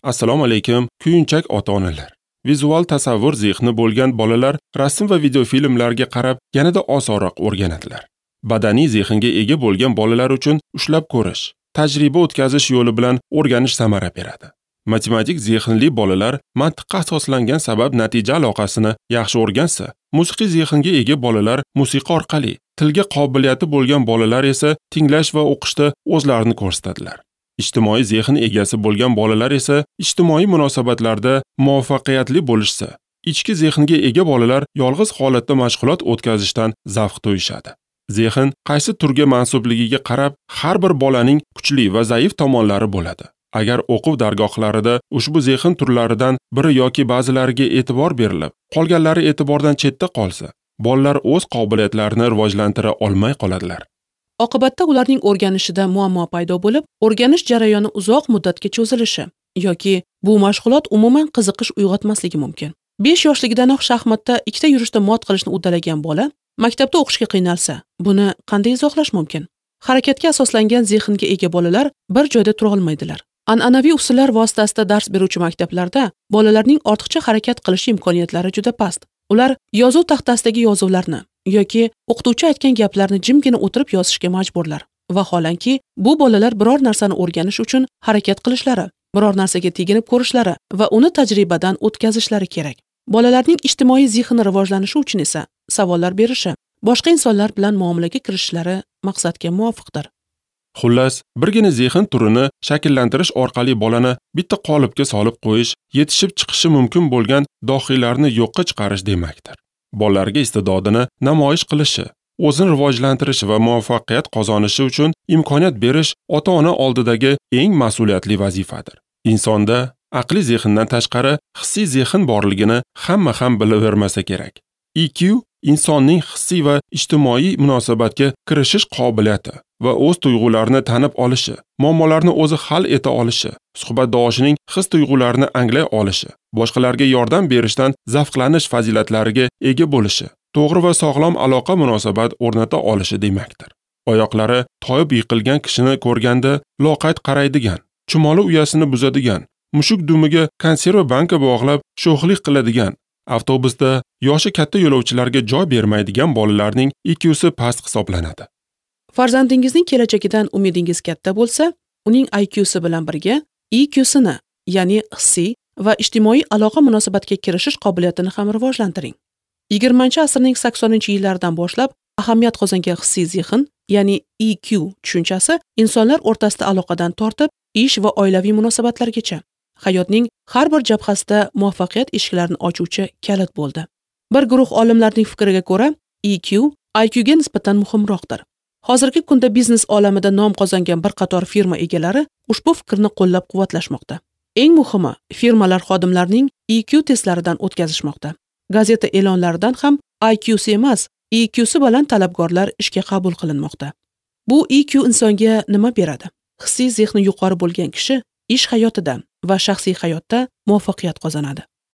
Assalomu alaykum, kuyunchak ota-onalar. Vizual tasavvur zehni bo'lgan bolalar rasm va videofilmlarga qarab yanada osonroq o'rganadilar. Badaniy zehnga ega bo'lgan bolalar uchun ushlab ko'rish, tajriba o'tkazish yo'li bilan o'rganish samara beradi. Matematik zehnli bolalar mantiqqa asoslangan sabab-natija aloqasini yaxshi o'rgansa, musiqiy zehnga ega bolalar musiqa orqali, tilga qobiliyati bo'lgan bolalar esa tinglash va o'qishda o'zlarini ko'rsatadilar. Ijtimoiy zehn egasi bo'lgan bolalar esa ijtimoiy munosabatlarda muvaffaqiyatli bo'lishsa, ichki zehnga ega bolalar yolg'iz holatda mashg'ulot o'tkazishdan zavq tuyishadi. Zehn qaysi turga mansubligiga qarab har bir bolaning kuchli va zaif tomonlari bo'ladi. Agar o'quv dargohlarida ushbu zehn turlaridan biri yoki ba'zilariga e'tibor berilib, qolganlari e'tibordan chetda qolsa, bolalar o'z qobiliyatlarini rivojlantira olmay qoladilar. Oqibatda ularning o'rganishida muammo paydo bo'lib, o'rganish jarayoni uzoq muddatga cho'zilishi yoki bu mashg'ulot umuman qiziqish uyg'otmasligi mumkin. 5 yoshligidanoq shaxmatda ikkita yurishda mot qilishni uddalagan bola maktabda o'qishga qiynalsa, buni qanday izohlash mumkin? Harakatga asoslangan zehnga ega bolalar bir joyda tura olmaydilar. An'anaviy usullar vositasida dars beruvchi maktablarda bolalarning ortiqcha harakat qilish imkoniyatlari juda past. Ular yozuv taxtasidagi yozuvlarni yoki o'qituvchi aytgan gaplarni jimgina o'tirib yozishga majburlar. Vaholanki, bu bolalar biror narsani o'rganish uchun harakat qilishlari, biror narsaga teginib ko'rishlari va uni tajribadan o'tkazishlari kerak. Bolalarning ijtimoiy zehni rivojlanishi uchun esa savollar berishi, boshqa insonlar bilan muomalaga kirishishlari maqsadga muvofiqdir. Xullas, birgina zehn turini shakllantirish orqali bolani bitta qolipga solib qo'yish, yetishib chiqishi mumkin bo'lgan dohiylarni yo'qqa chiqarish demakdir. Bolalarga iste'dodini namoyish qilishi, o'zini rivojlantirishi va muvaffaqiyat qozonishi uchun imkoniyat berish ota-ona oldidagi eng mas'uliyatli vazifadir. Insonda aqliy zehndan tashqari hissiy zehn borligini hamma ham bilavermasa kerak. EQ insonning hissiy va ijtimoiy munosabatga kirishish qobiliyati va o'z tuyg'ularini tanib olishi, muammolarni o'zi hal eta olishi, suhbatdoshining his-tuyg'ularini anglay olishi, boshqalarga yordam berishdan zavqlanish fazilatlariga ega bo'lishi, to'g'ri va sog'lom aloqa munosabat o'rnata olishi demakdir. Oyoqlari toyib yiqilgan kishini ko'rganda loqayd qaraydigan, chumoli uyasini buzadigan, mushuk dumiga konserva banka bog'lab sho'xlik qiladigan, avtobusda yoshi katta yo'lovchilarga joy bermaydigan bolalarning IQsi past hisoblanadi. Farzandingizning kelajagidan umidingiz katta bo'lsa, uning IQsi bilan birga EQsini, ya'ni hissiy va ijtimoiy aloqa munosabatga kirishish qobiliyatini ham rivojlantiring. 20-asrning 80-yillaridan boshlab ahamiyat qozongan hissiy zehn, ya'ni EQ tushunchasi insonlar o'rtasida aloqadan tortib ish va oilaviy munosabatlargacha hayotning har bir jabhasida muvaffaqiyat eshiklarini ochuvchi kalit bo'ldi. Bir guruh olimlarning fikriga ko'ra, EQ IQ ga nisbatan muhimroqdir. Hozirgi kunda biznes olamida nom qozongan bir qator firma egalari ushbu fikrni qo'llab-quvvatlashmoqda. Eng muhimi, firmalar xodimlarning EQ testlaridan o'tkazishmoqda. Gazeta e'lonlaridan ham IQsi emas, EQsi baland talabgorlar ishga qabul qilinmoqda. Bu EQ insonga nima beradi? Hissiy zehni yuqori bo'lgan kishi ish hayotida va shaxsiy hayotda muvaffaqiyat qozonadi.